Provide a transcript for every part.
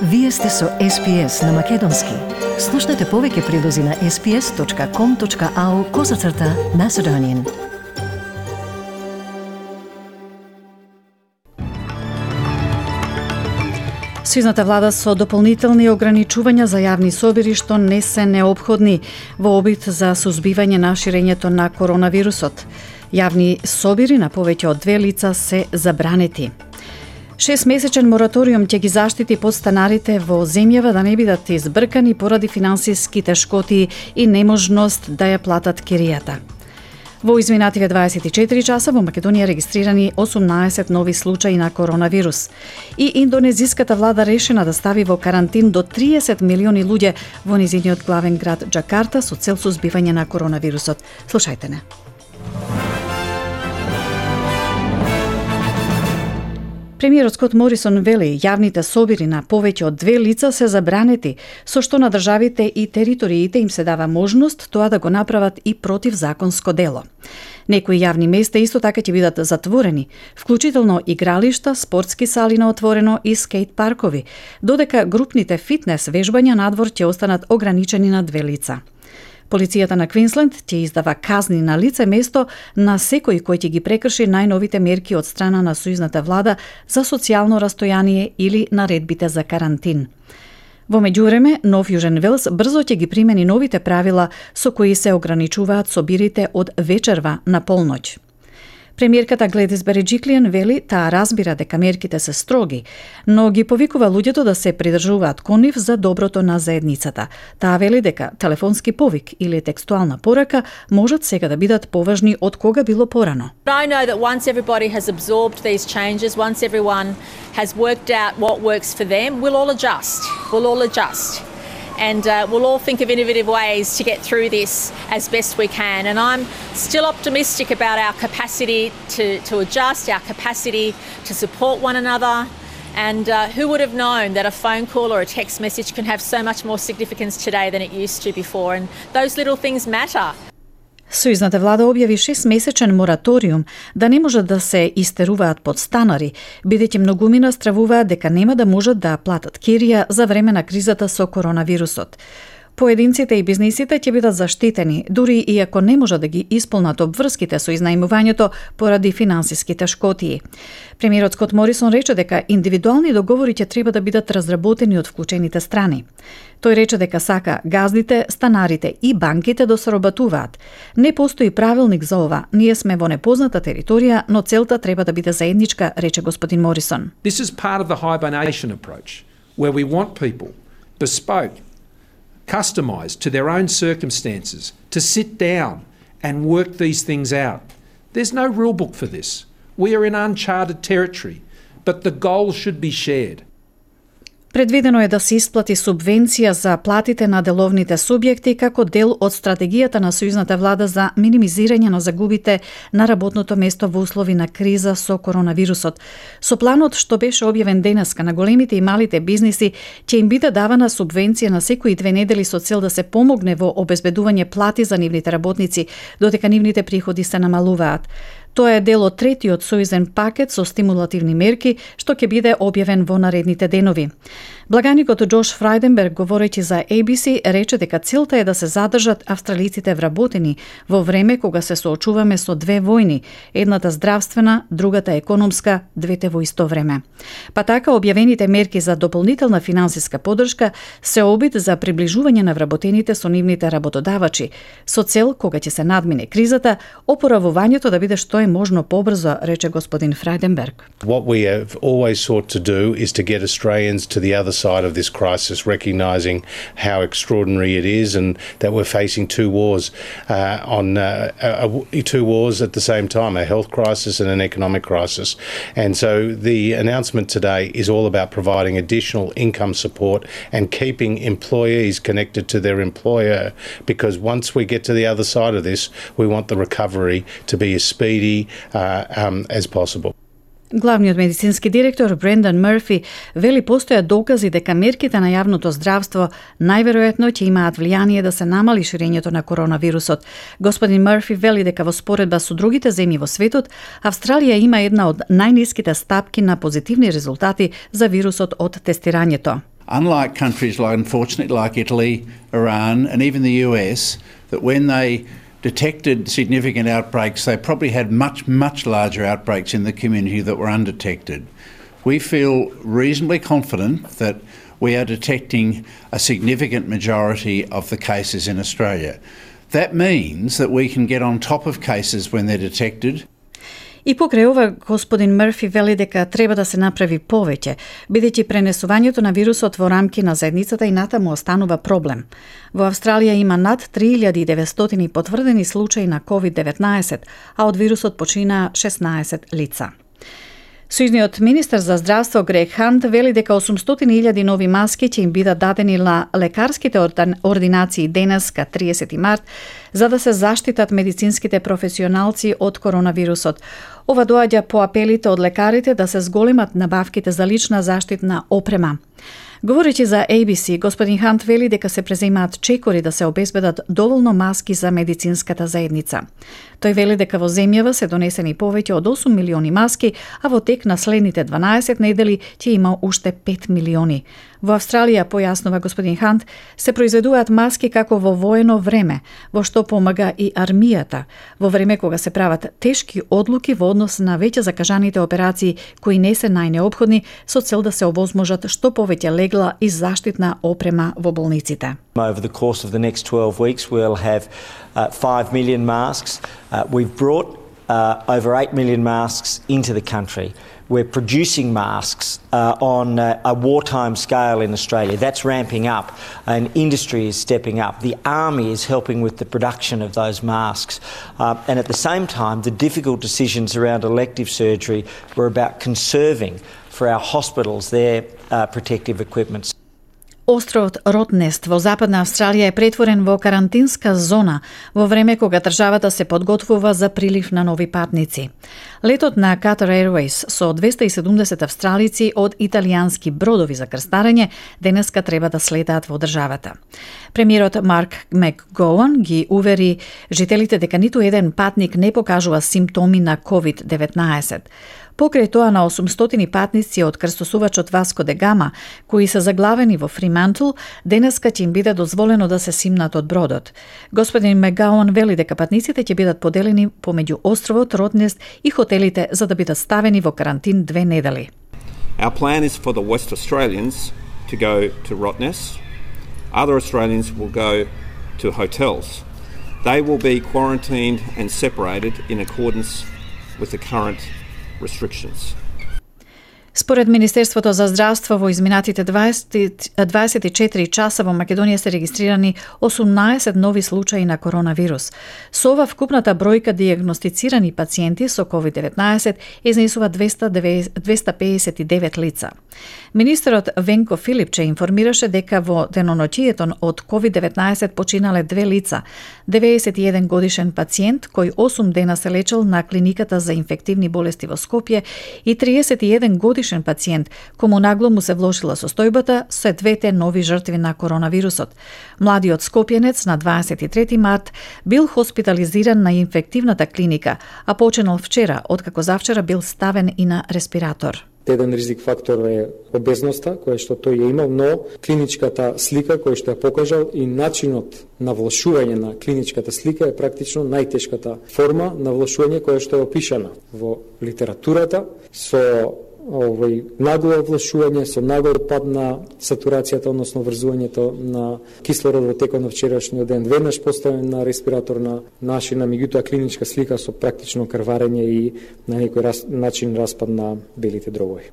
Вие сте со SPS на Македонски. Слушнете повеќе прилози на sps.com.au/Macedonian. Сојузната влада со дополнителни ограничувања за јавни собири што не се неопходни во обид за сузбивање на ширењето на коронавирусот. Јавни собири на повеќе од 2 лица се забранети. 6-месечен мораториум ќе ги заштити подстанарите во земјава да не бидат избркани поради финансиски тешкоти и неможност да ја платат киријата. Во изминативе 24 часа во Македонија регистрирани 18 нови случаи на коронавирус. И индонезиската влада решена да стави во карантин до 30 милиони луѓе во низиниот главен град Џакарта со цел сузбивање на коронавирусот. Слушајте не. Премиерот Скот Морисон вели јавните собири на повеќе од 2 лица се забранети, со што на државите и териториите им се дава можност тоа да го направат и противзаконско дело. Некои јавни места исто така ќе бидат затворени, вклучително игралишта, спортски сали на отворено и скејт паркови, додека групните фитнес вежбања надвор ќе останат ограничени на 2 лица. Полицијата на Квинсленд ќе издава казни на лице место на секој кој ќе ги прекрши најновите мерки од страна на сојузната влада за социјално растојание или наредбите за карантин. Во меѓувреме, Нов Јужен Велс брзо ќе ги примени новите правила со кои се ограничуваат собирите од вечерва на полноќ. Премиерката Гледис Береџиклијан вели таа разбира дека мерките се строги, но ги повикува луѓето да се придржуваат кон нив за доброто на заедницата. Таа вели дека телефонски повик или текстуална порака можат сега да бидат поважни од кога било порано. I know that once everybody has absorbed these changes, once everyone has worked out what works for them, we'll all adjust. And we'll all think of innovative ways to get through this as best we can. And I'm still optimistic about our capacity to adjust, our capacity to support one another. And who would have known that a phone call or a text message can have so much more significance today than it used to before? And those little things matter. Сојузната влада објави 6-месечен мораториум да не можат да се истеруваат подстанари, бидејќи многумина стравуваат дека нема да можат да платат кирија за време на кризата со коронавирусот. Поединците и бизнисите ќе бидат заштитени, дури и ако не можат да ги исполнат обврските со изнајмувањето поради финансиски тешкотии. Премиерот Скот Морисон рече дека индивидуални договори ќе треба да бидат разработени од вклучените страни. Тој рече дека сака газдите, станарите и банките да соработуваат. Не постои правилник за ова. Ние сме во непозната територија, но целта треба да биде заедничка, рече господин Морисон. This is part of the hibernation approach, where we want people bespoke, customized to their own circumstances, to sit down and work these things out. There's no rule book for this. We are in uncharted territory, but the goal should be shared. Предвидено е да се исплати субвенција за платите на деловните субјекти како дел од стратегијата на сојузната влада за минимизирање на загубите на работното место во услови на криза со коронавирусот. Со планот што беше објавен денеска на големите и малите бизниси ќе им биде давана субвенција на секои 2 недели со цел да се помогне во обезбедување плати за нивните работници, додека нивните приходи се намалуваат. Тоа е дел од третиот сојузен пакет со стимулативни мерки што ќе биде објавен во наредните денови. Благаникот Џош Фрајденберг, говорејќи за ABC, рече дека целта е да се задржат австралиците вработени во време кога се соочуваме со 2 војни, едната здравствена, другата економска, двете во исто време. Па така објавените мерки за дополнителна финансиска поддршка се обид за приближување на вработените со нивните работодавачи, со цел кога ќе се надмине кризата, опоравувањето да биде што е можно побрзо, рече господин Фрајденберг. What we have always sought to do is to get Australians to the other side of this crisis, recognising how extraordinary it is and that we're facing 2 wars two wars at the same time, a health crisis and an economic crisis. And so the announcement today is all about providing additional income support and keeping employees connected to their employer, because once we get to the other side of this, we want the recovery to be as speedy as possible. Главниот медицински директор Брендан Мърфи вели постојат докази дека мерките на јавното здравство најверојатно ќе имаат влијание да се намали ширењето на коронавирусот. Господин Мърфи вели дека во споредба со другите земји во светот, Австралија има една од најниските стапки на позитивни резултати за вирусот од тестирањето. Unlike countries like Italy, Iran and even the US, that when they detected significant outbreaks, they probably had much larger outbreaks in the community that were undetected. We feel reasonably confident that we are detecting a significant majority of the cases in Australia. That means that we can get on top of cases when they're detected. И покрај ова, господин Мърфи вели дека треба да се направи повеќе, бидејќи пренесувањето на вирусот во рамки на заедницата и натаму останува проблем. Во Австралија има над 3900 потврдени случаи на COVID-19, а од вирусот почина 16 лица. Сојузниот министер за здравство Грег Хант вели дека 800.000 нови маски ќе им бидат дадени на лекарските ординации денеска 30 март за да се заштитат медицинските професионалци од коронавирусот. Ова доаѓа по апелите од лекарите да се зголемат набавките за лична заштитна опрема. Говорејќи за ABC, господин Хант вели дека се преземаат чекори да се обезбедат доволно маски за медицинската заедница. Тој вели дека во земјава се донесени повеќе од 8 милиони маски, а во тек на следните 12 недели ќе има уште 5 милиони. Во Австралија, појаснува господин Хант, се произведуваат маски како во воено време, во што помага и армијата, во време кога се прават тешки одлуки во однос на веќе закажаните операции кои не се најнеопходни, со цел да се овозможат што повеќе легла и заштитна опрема во болниците. Over the course of the next 12 weeks, we'll have 5 million masks. We've brought over 8 million masks into the country. We're producing masks on a wartime scale in Australia. That's ramping up and industry is stepping up. The army is helping with the production of those masks. And at the same time, the difficult decisions around elective surgery were about conserving for our hospitals their protective equipment. Островот Ротнест во Западна Австралија е претворен во карантинска зона во време кога државата се подготвува за прилив на нови патници. Летот на Qatar Airways со 270 австралици од италијански бродови за крстарење денеска треба да слетаат во државата. Премиерот Марк Макгоуан ги увери жителите дека ниту еден патник не покажува симптоми на COVID-19. Покрај тоа на 800 патници од крстосувачот Васко де Гама, кои се заглавени во Фримантл, денеска ќе им биде дозволено да се симнат од бродот. Господин Макгоуан вели дека патниците ќе бидат поделени помеѓу островот Ротнест и хотелите за да бидат ставени во карантин 2 недели. Our plan is for the West Australians to go to Rottnest. Other Australians will go to hotels. They will be quarantined and separated in accordance with the current restrictions. Според Министерството за здравство во изминатите 24 часа во Македонија се регистрирани 18 нови случаи на коронавирус. Со ова вкупната бројка дијагностицирани пациенти со COVID-19 изнесува 259 лица. Министерот Венко Филипче информираше дека во деноноќието од COVID-19 починале 2 лица, 91 годишен пациент кој 8 дена се лечел на клиниката за инфективни болести во Скопје и 31 годишен пациент, кому нагло му се влошила состојбата, се двете нови жртви на коронавирусот. Младиот скопјенец на 23 март бил хоспитализиран на инфективната клиника, а починал вчера, откако завчера бил ставен и на респиратор. Еден ризик фактор е обезноста, која што тој е имал, но клиничката слика која што ја покажал и начинот на влошување на клиничката слика е практично најтешката форма на влошување која што е опишана во литературата со нагло влошување, со нагол пад на сатурацијата, односно врзувањето на кислород во текот на вчерашниот ден, веднаш поставен на респиратор на нашина, меѓутоа клиничка слика со практично крварење и на некој начин распад на белите дробови.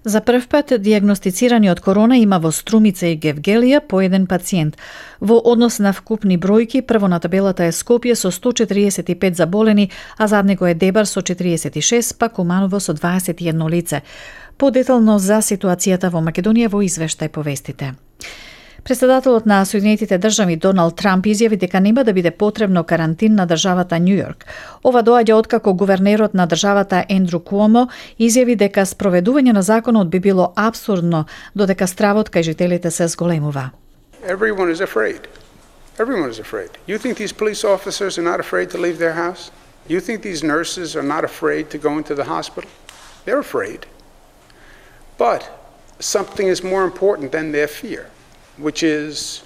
За прв пат дијагностицирани од корона има во Струмица и Гевгелија по еден пациент. Во однос на вкупни бројки, прво на табелата е Скопје со 145 заболени, а зад него е Дебар со 46, па Куманово со 21 лице. Подетално за ситуацијата во Македонија во извештај повестите. Председателот на Соединетите држави Доналд Трамп изјави дека нема да биде потребно карантин на државата Њујорк. Ова доаѓа откако гувернерот на државата Ендру Куомо изјави дека спроведување на законот би било апсурдно, додека стравот кај жителите се зголемува. Everyone is afraid. Everyone is afraid. You think these police officers are not afraid to leave their house? You think these nurses are not afraid to go into the hospital? They're afraid. But something is more important than their fear, which is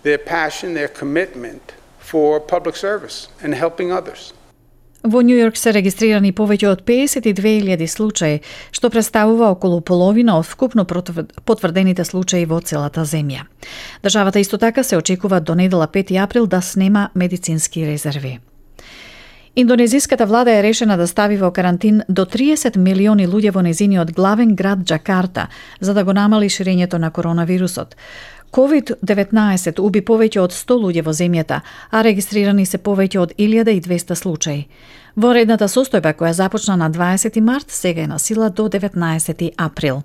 their passion, their commitment for public service and helping others. Во Нью Йорк се регистрирани повеќе од 52.000 случаи, што представува околу половина од вкупно потврдените случаи во целата земја. Државата исто така се очекува до недела 5 април да снема медицински резерви. Индонезиската влада е решена да стави во карантин до 30 милиони луѓе во незиниот главен град Џакарта, за да го намали ширењето на коронавирусот. COVID-19 уби повеќе од 100 луѓе во земјата, а регистрирани се повеќе од 1200 случаи. Воредната состојба која започна на 20 март сега е на сила до 19 април.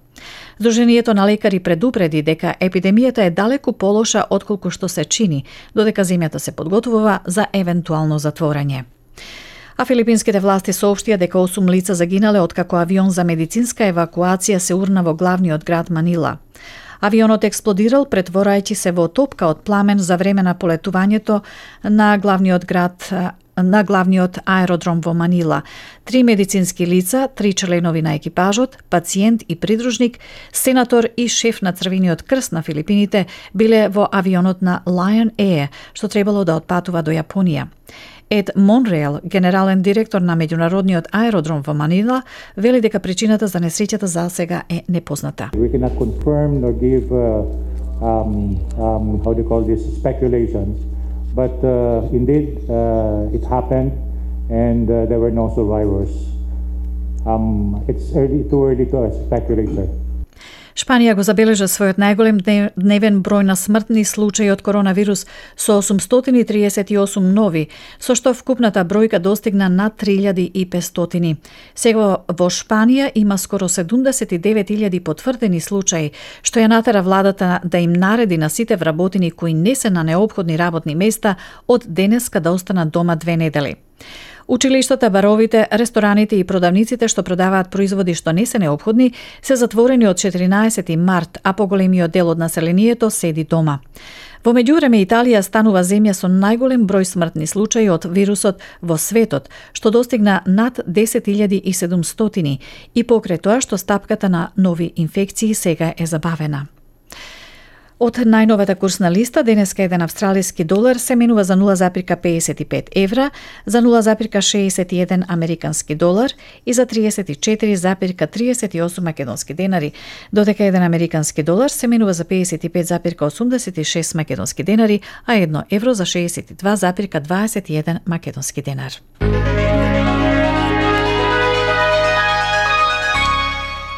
Сдруженијето на лекари предупреди дека епидемијата е далеку полоша отколку што се чини, додека земјата се подготвува за евентуално затворање. А филипинските власти соопштија дека 8 лица загинале откако авион за медицинска евакуација се урна во главниот град Манила. Авионот експлодирал претворајќи се во топка од пламен за време на полетувањето на главниот аеродром во Манила. 3 медицински лица, 3 членови на екипажот, пациент и придружник, сенатор и шеф на Црвениот крст на Филипините биле во авионот на Lion Air, што требало да отпатува до Јапонија. Ед Монреал, генерален директор на меѓународниот аеродром во Манила, вели дека причината за несреќата за сега е непозната. We cannot confirm nor give how do you call this, speculations, but indeed it happened and there were no survivors. It's too early to speculate there. Шпанија го забележа својот најголем дневен број на смртни случаи од коронавирус со 838 нови, со што вкупната бројка достигна над 3500. Сега во Шпанија има скоро 79.000 потврдени случаи, што ја натера владата да им нареди на сите вработени кои не се на неопходни работни места од денеска да останат дома 2 недели. Училиштата, баровите, рестораните и продавниците што продаваат производи што не се неопходни се затворени од 14 март, а поголемиот дел од населението седи дома. Во меѓувреме Италија станува земја со најголем број смртни случаи од вирусот во светот, што достигна над 10.700 и покрај тоа што стапката на нови инфекции сега е забавена. Од најновата курсна листа, денеска еден австралиски долар се менува за 0,55 евра, за 0,61 американски долар и за 34,38 македонски денари, додека еден американски долар се менува за 55,86 македонски денари, а 1 евро за 62,21 македонски денар.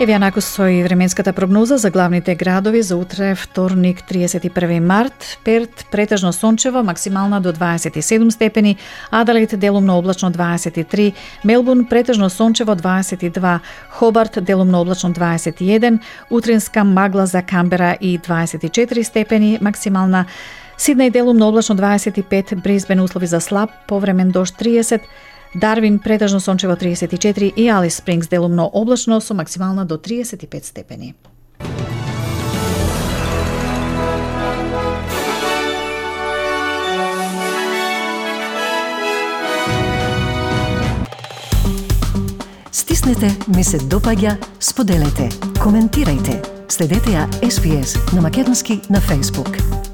Еве јанаку со и временската прогноза за главните градови за утре, вторник, 31 март. Перт претежно сончево, максимална до 27 степени, Аделаид делумно облачно 23, Мелбурн претежно сончево 22, Хобарт делумно облачно 21, утринска магла за Камбера и 24 степени, максимална, Сиднеј делумно облачно 25, Брисбен услови за слаб повремен дожд 30, Дарвин претежно сончево 34 и Алис Спрингс делумно облачно со максимална до 35 степени. Стиснете, ми се допаѓа, споделете, коментирајте. Следете ја SPS на Македонски на Facebook.